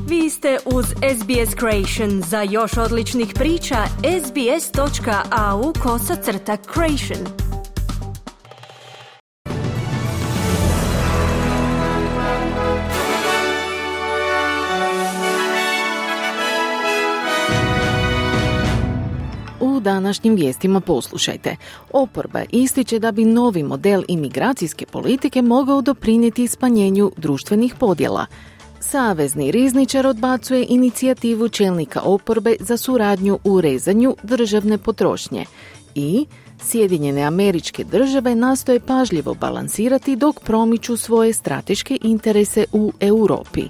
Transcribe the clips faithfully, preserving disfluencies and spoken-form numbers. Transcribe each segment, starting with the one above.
Vi ste uz S B S Creation. Za još odličnih priča, sbs.au kosacrta creation. U današnjim vijestima poslušajte. Oporba ističe da bi novi model imigracijske politike mogao doprinijeti smanjenju društvenih podjela. Savezni rizničar odbacuje inicijativu čelnika oporbe za suradnju u rezanju državne potrošnje. I Sjedinjene Američke Države nastoje pažljivo balansirati dok promiču svoje strateške interese u Europi.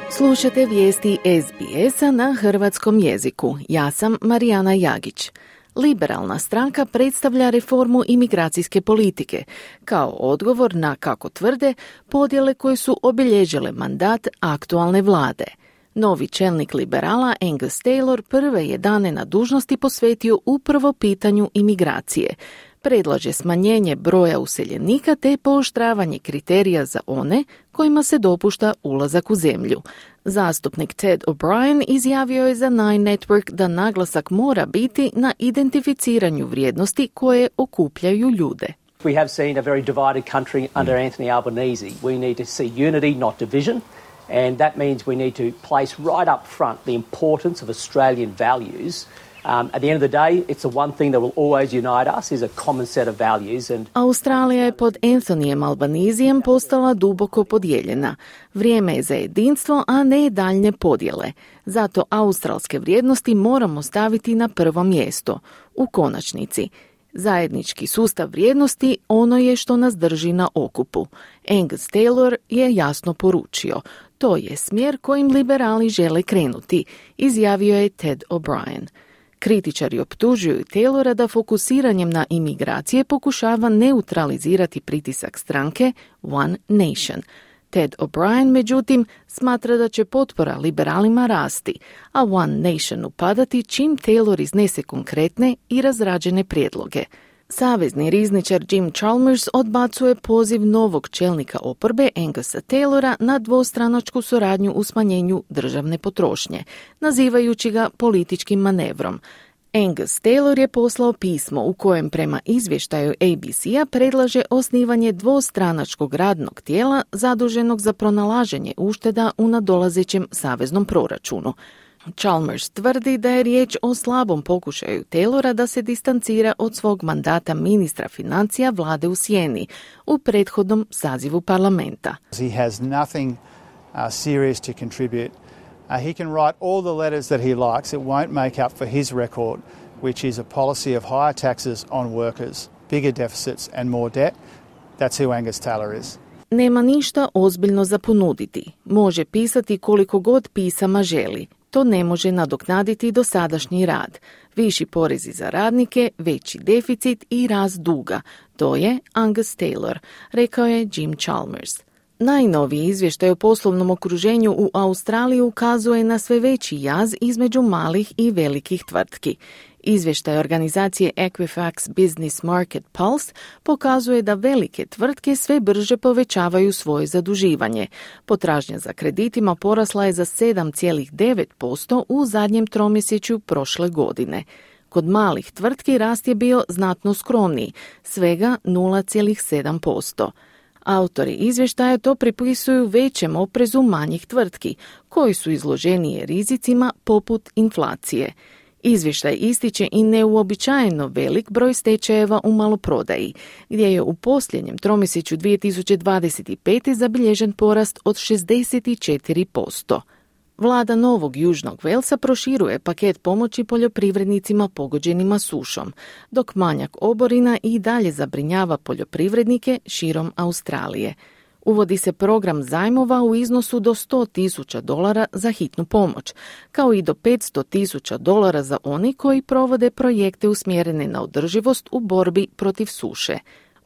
Slušate vijesti S B S-a na hrvatskom jeziku. Ja sam Marijana Jagić. Liberalna stranka predstavlja reformu imigracijske politike kao odgovor na, kako tvrde, podjele koje su obilježile mandat aktualne vlade. Novi čelnik liberala Angus Taylor prve je dane na dužnosti posvetio upravo pitanju imigracije. Predlaže smanjenje broja useljenika te pooštravanje kriterija za one kojima se dopušta ulazak u zemlju. Zastupnik Ted O'Brien izjavio je za Nine Network da naglasak mora biti na identificiranju vrijednosti koje okupljaju ljude. We have seen a very divided country under Anthony Albanese. We need to see unity, not division, and that means we need to place right up front the importance of Australian values. Um, at the end of the day, it's the one thing that will always unite us is a common set of values. And Australija je pod Anthonyjem Albanezijem postala duboko podijeljena. Vrijeme je za jedinstvo, a ne daljnje podjele. Zato australske vrijednosti moramo staviti na prvo mjesto. U konačnici, zajednički sustav vrijednosti ono je što nas drži na okupu. Angus Taylor je jasno poručio. To je smjer kojim liberali žele krenuti, izjavio je Ted O'Brien. Kritičari optužuju Taylora da fokusiranjem na imigracije pokušava neutralizirati pritisak stranke One Nation. Ted O'Brien, međutim, smatra da će potpora liberalima rasti, a One Nationu padati čim Taylor iznese konkretne i razrađene prijedloge. Savezni rizničar Jim Chalmers odbacuje poziv novog čelnika oporbe Angusa Taylora na dvostranačku suradnju u smanjenju državne potrošnje, nazivajući ga političkim manevrom. Angus Taylor je poslao pismo u kojem prema izvještaju A B C-a predlaže osnivanje dvostranačkog radnog tijela zaduženog za pronalaženje ušteda u nadolazećem saveznom proračunu. Chalmers tvrdi da je riječ o slabom pokušaju Taylora da se distancira od svog mandata ministra financija vlade u sjeni u prethodnom sazivu parlamenta. He has nothing uh, serious to contribute. Uh, he can write all the letters that he likes. It won't make up for his record, which is a policy of higher taxes on workers, bigger deficits and more debt. That's who Angus Taylor is. Nema ništa ozbiljno za ponuditi. Može pisati koliko god pisama želi. To ne može nadoknaditi dosadašnji rad. Viši porezi za radnike, veći deficit i rast duga. To je Angus Taylor, rekao je Jim Chalmers. Najnoviji izvještaj o poslovnom okruženju u Australiji ukazuje na sve veći jaz između malih i velikih tvrtki. Izvještaj organizacije Equifax Business Market Pulse pokazuje da velike tvrtke sve brže povećavaju svoje zaduživanje. Potražnja za kreditima porasla je za sedam zarez devet posto u zadnjem tromjesečju prošle godine. Kod malih tvrtki rast je bio znatno skromniji, svega nula zarez sedam posto. Autori izvještaja to pripisuju većem oprezu manjih tvrtki, koji su izloženije rizicima poput inflacije. Izvještaj ističe i neuobičajeno velik broj stečajeva u maloprodaji, gdje je u posljednjem tromjesečju dvije tisuće dvadeset pete zabilježen porast od šezdeset četiri posto. Vlada Novog Južnog Velsa proširuje paket pomoći poljoprivrednicima pogođenima sušom, dok manjak oborina i dalje zabrinjava poljoprivrednike širom Australije. Uvodi se program zajmova u iznosu do sto tisuća dolara za hitnu pomoć, kao i do petsto tisuća dolara za oni koji provode projekte usmjerene na održivost u borbi protiv suše.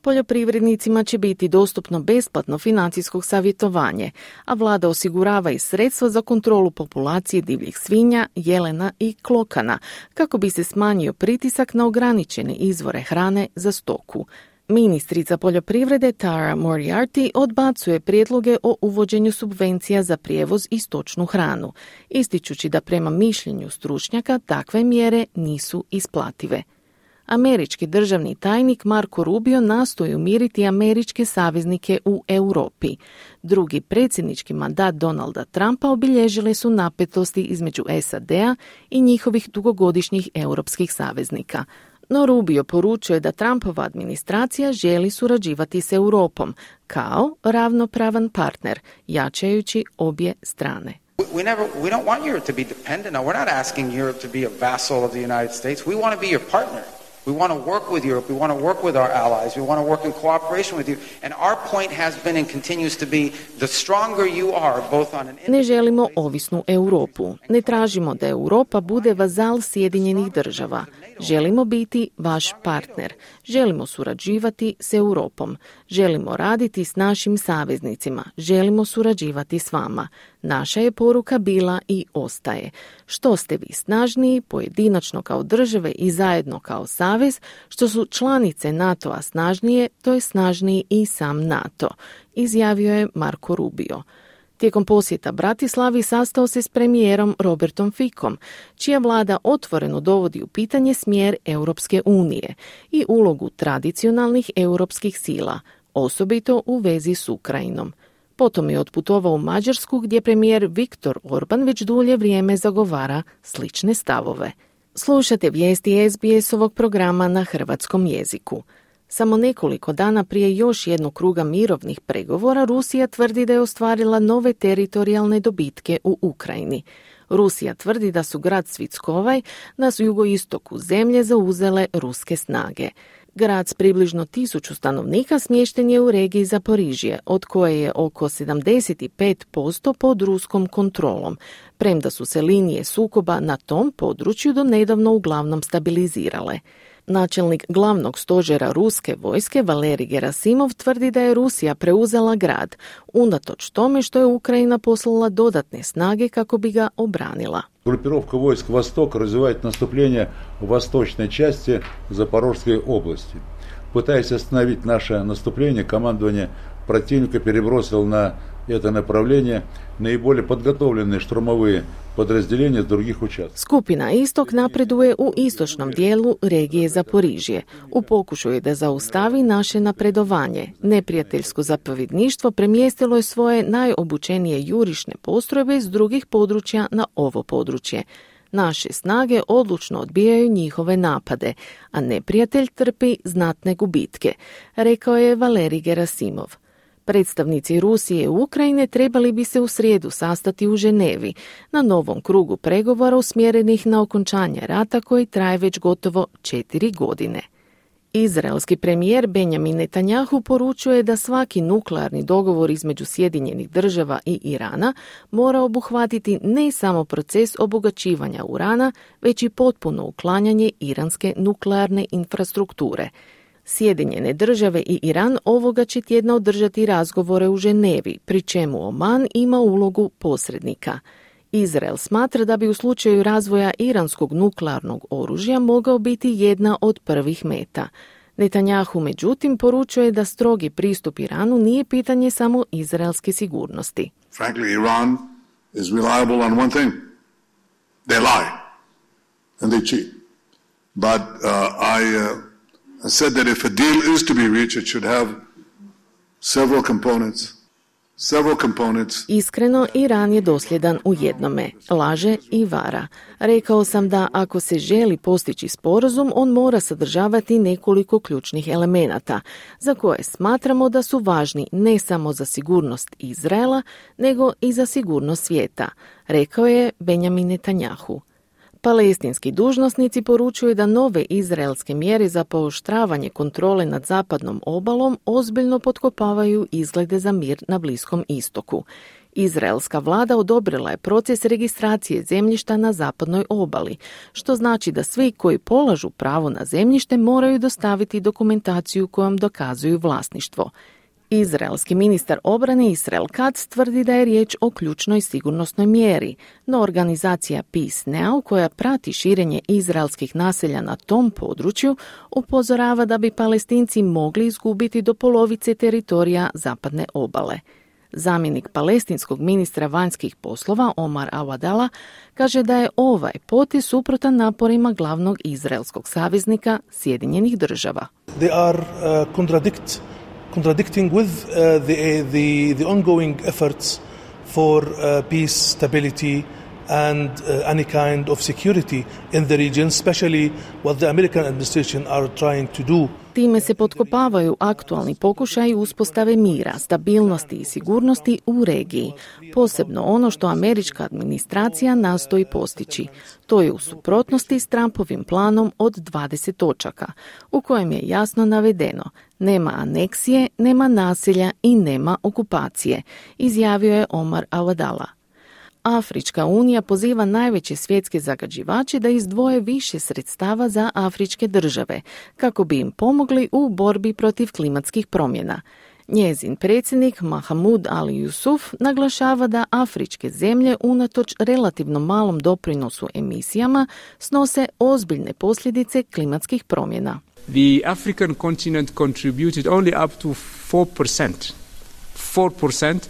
Poljoprivrednicima će biti dostupno besplatno financijsko savjetovanje, a vlada osigurava i sredstva za kontrolu populacije divljih svinja, jelena i klokana, kako bi se smanjio pritisak na ograničene izvore hrane za stoku. Ministrica poljoprivrede Tara Moriarty odbacuje prijedloge o uvođenju subvencija za prijevoz i stočnu hranu, ističući da prema mišljenju stručnjaka takve mjere nisu isplative. Američki državni tajnik Marco Rubio nastoji umiriti američke saveznike u Europi. Drugi predsjednički mandat Donalda Trumpa obilježile su napetosti između S A D-a i njihovih dugogodišnjih europskih saveznika. No Rubio poručuje da Trumpova administracija želi surađivati s Europom kao ravnopravan partner, jačajući obje strane. We never, we don't want Europe to be dependent. No, we're not asking Europe to be a vassal of the United States. We want to be your partner. We want to work with Europe. We want to work with our allies. We want to work in cooperation with you. And our point has been and continues to be the stronger you are both on an... Ne želimo ovisnu Europu. Ne tražimo da Europa bude vazal Sjedinjenih država. Želimo biti vaš partner. Želimo surađivati s Europom. Želimo raditi s našim saveznicima. Želimo surađivati s vama. Naša je poruka bila i ostaje. Što ste vi snažniji, pojedinačno kao države i zajedno kao savez, što su članice NATO-a snažnije, to je snažniji i sam NATO, izjavio je Marco Rubio. Tijekom posjeta Bratislavi sastao se s premijerom Robertom Ficom, čija vlada otvoreno dovodi u pitanje smjer Europske unije i ulogu tradicionalnih europskih sila, osobito u vezi s Ukrajinom. Potom je otputovao u Mađarsku gdje premijer Viktor Orban već dulje vrijeme zagovara slične stavove. Slušate vijesti S B S-ovog programa na hrvatskom jeziku. Samo nekoliko dana prije još jednog kruga mirovnih pregovora Rusija tvrdi da je ostvarila nove teritorijalne dobitke u Ukrajini. Rusija tvrdi da su grad Svitskovaj na jugoistoku zemlje zauzele ruske snage. Grad s približno tisuću stanovnika smješten je u regiji Zaporižje, od koje je oko sedamdeset pet posto pod ruskom kontrolom, premda su se linije sukoba na tom području do nedavno uglavnom stabilizirale. Načelnik glavnog stožera ruske vojske Valerij Gerasimov tvrdi da je Rusija preuzela grad, unatoč tome što je Ukrajina poslala dodatne snage kako bi ga obranila. Группировка войск «Восток» развивает наступление в восточной части Запорожской области. Пытаясь остановить наше наступление, командование противника перебросило на это направление наиболее подготовленные штурмовые подразделения с других участков. Skupina Istok napreduje u istočnom dijelu regije Zaporižje. U pokušaju da zaustavi naše napredovanje, neprijateljsko zapovjedništvo premjestilo je svoje najobučenije jurišne postrojbe s drugih područja na ovo područje. Naše snage odlučno odbijaju njihove napade, a neprijatelj trpi znatne gubitke, rekao je Valerij Gerasimov. Predstavnici Rusije i Ukrajine trebali bi se u srijedu sastati u Ženevi na novom krugu pregovora usmjerenih na okončanje rata koji traje već gotovo četiri godine. Izraelski premijer Benjamin Netanjahu poručuje da svaki nuklearni dogovor između Sjedinjenih država i Irana mora obuhvatiti ne samo proces obogaćivanja urana, već i potpuno uklanjanje iranske nuklearne infrastrukture. Sjedinjene države i Iran ovoga će tjedna održati razgovore u Ženevi, pri čemu Oman ima ulogu posrednika. Izrael smatra da bi u slučaju razvoja iranskog nuklearnog oružja mogao biti jedna od prvih meta. Netanjahu međutim poručuje da strogi pristup Iranu nije pitanje samo izraelske sigurnosti. Frankly, Iran is reliable on one thing. They lie and they cheat. But uh, I uh, I said that if a deal is to be reached, it should have several components. Several components. Iskreno, Iran je dosljedan u jednome, laže i vara. Rekao sam da ako se želi postići sporazum, on mora sadržavati nekoliko ključnih elemenata, za koje smatramo da su važni ne samo za sigurnost Izraela, nego i za sigurnost svijeta, rekao je Benjamin Netanjahu. Palestinski dužnosnici poručuju da nove izraelske mjere za pooštravanje kontrole nad zapadnom obalom ozbiljno potkopavaju izglede za mir na Bliskom istoku. Izraelska vlada odobrila je proces registracije zemljišta na zapadnoj obali, što znači da svi koji polažu pravo na zemljište moraju dostaviti dokumentaciju kojom dokazuju vlasništvo. Izraelski ministar obrane Israel Katz tvrdi da je riječ o ključnoj sigurnosnoj mjeri, no organizacija Peace Now, koja prati širenje izraelskih naselja na tom području, upozorava da bi Palestinci mogli izgubiti do polovice teritorija zapadne obale. Zamjenik palestinskog ministra vanjskih poslova Omar Awadallah kaže da je ovaj potez suprotan naporima glavnog izraelskog saveznika Sjedinjenih država. They are uh, contradict contradicting with uh, the, the the ongoing efforts for uh, peace, stability and uh, any kind of security in the region, especially what the American administration are trying to do. Time se potkopavaju aktualni pokušaji uspostave mira, stabilnosti i sigurnosti u regiji, posebno ono što američka administracija nastoji postići. To je u suprotnosti s Trumpovim planom od dvadeset točaka, u kojem je jasno navedeno: nema aneksije, nema nasilja i nema okupacije, izjavio je Omar Awadallah. Afrička unija poziva najveće svjetske zagađivače da izdvoje više sredstava za afričke države, kako bi im pomogli u borbi protiv klimatskih promjena. Njezin predsjednik Mahamoud Ali Yusuf naglašava da afričke zemlje unatoč relativno malom doprinosu emisijama snose ozbiljne posljedice klimatskih promjena. The African continent contributed only up to four percent. four percent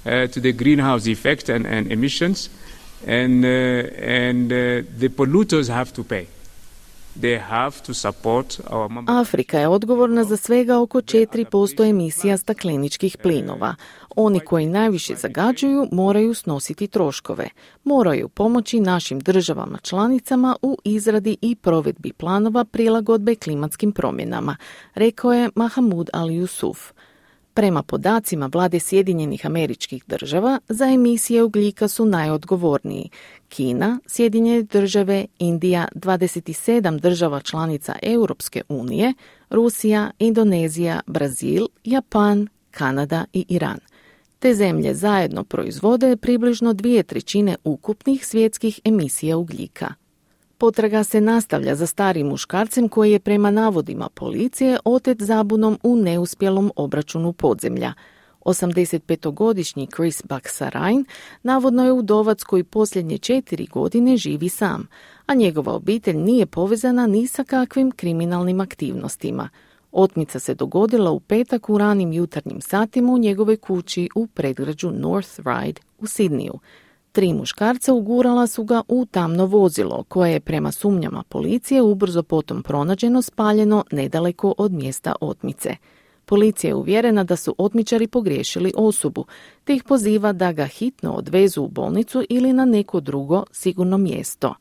Uh, to the greenhouse effect and, and emissions, and uh, and uh, the polluters have to pay. They have to support our member. Afrika je odgovorna za svega oko četiri posto emisija stakleničkih plinova. Oni koji najviše zagađuju moraju snositi troškove. Moraju pomoći našim državama članicama u izradi i provedbi planova prilagodbe klimatskim promjenama, rekao je Mahamoud Ali Yusuf. Prema podacima vlade Sjedinjenih Američkih Država, za emisije ugljika su najodgovorniji Kina, Sjedinjene Države, Indija, dvadeset sedam država članica Europske unije, Rusija, Indonezija, Brazil, Japan, Kanada i Iran. Te zemlje zajedno proizvode približno dvije trećine ukupnih svjetskih emisija ugljika. Potraga se nastavlja za starim muškarcem koji je prema navodima policije otet zabunom u neuspjelom obračunu podzemlja. osamdesetpetogodišnji Chris Baksarain navodno je udovac koji posljednje četiri godine živi sam, a njegova obitelj nije povezana ni sa kakvim kriminalnim aktivnostima. Otmica se dogodila u petak u ranim jutarnjim satima u njegovoj kući u predgrađu North Ryde u Sidniju. Tri muškarca ugurala su ga u tamno vozilo, koje je prema sumnjama policije ubrzo potom pronađeno spaljeno nedaleko od mjesta otmice. Policija je uvjerena da su otmičari pogriješili osobu, te ih poziva da ga hitno odvezu u bolnicu ili na neko drugo sigurno mjesto.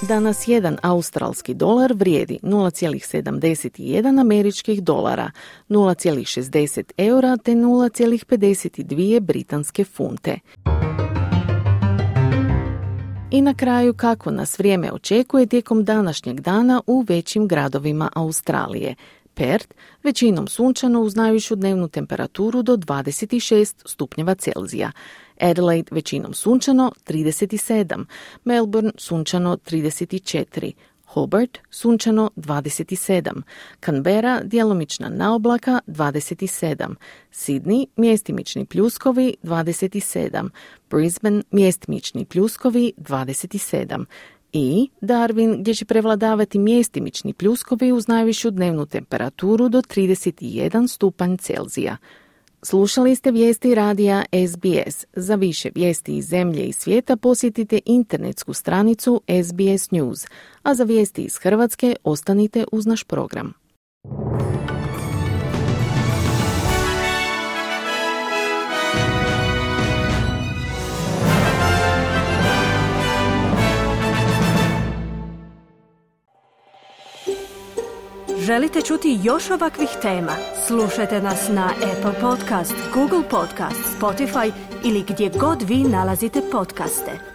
Danas jedan australski dolar vrijedi nula zarez sedamdeset jedan američkih dolara, nula zarez šezdeset eura te nula zarez pedeset dvije britanske funte. I na kraju kako nas vrijeme očekuje tijekom današnjeg dana u većim gradovima Australije. Perth, većinom sunčano uz najvišu dnevnu temperaturu do dvadeset šest stupnjeva Celzija. Adelaide većinom sunčano trideset sedam, Melbourne sunčano trideset četiri, Hobart sunčano dvadeset sedam, Canberra djelomična naoblaka dvadeset sedam, Sydney mjestimični pljuskovi dvadeset sedam, Brisbane mjestimični pljuskovi dvadeset sedam i Darwin gdje će prevladavati mjestimični pljuskovi uz najvišu dnevnu temperaturu do trideset jedan stupanj Celzija. Slušali ste vijesti radija S B S. Za više vijesti iz zemlje i svijeta posjetite internetsku stranicu S B S News, a za vijesti iz Hrvatske ostanite uz naš program. Želite čuti još ovakvih tema? Slušajte nas na Apple Podcast, Google Podcast, Spotify ili gdje god vi nalazite podcaste.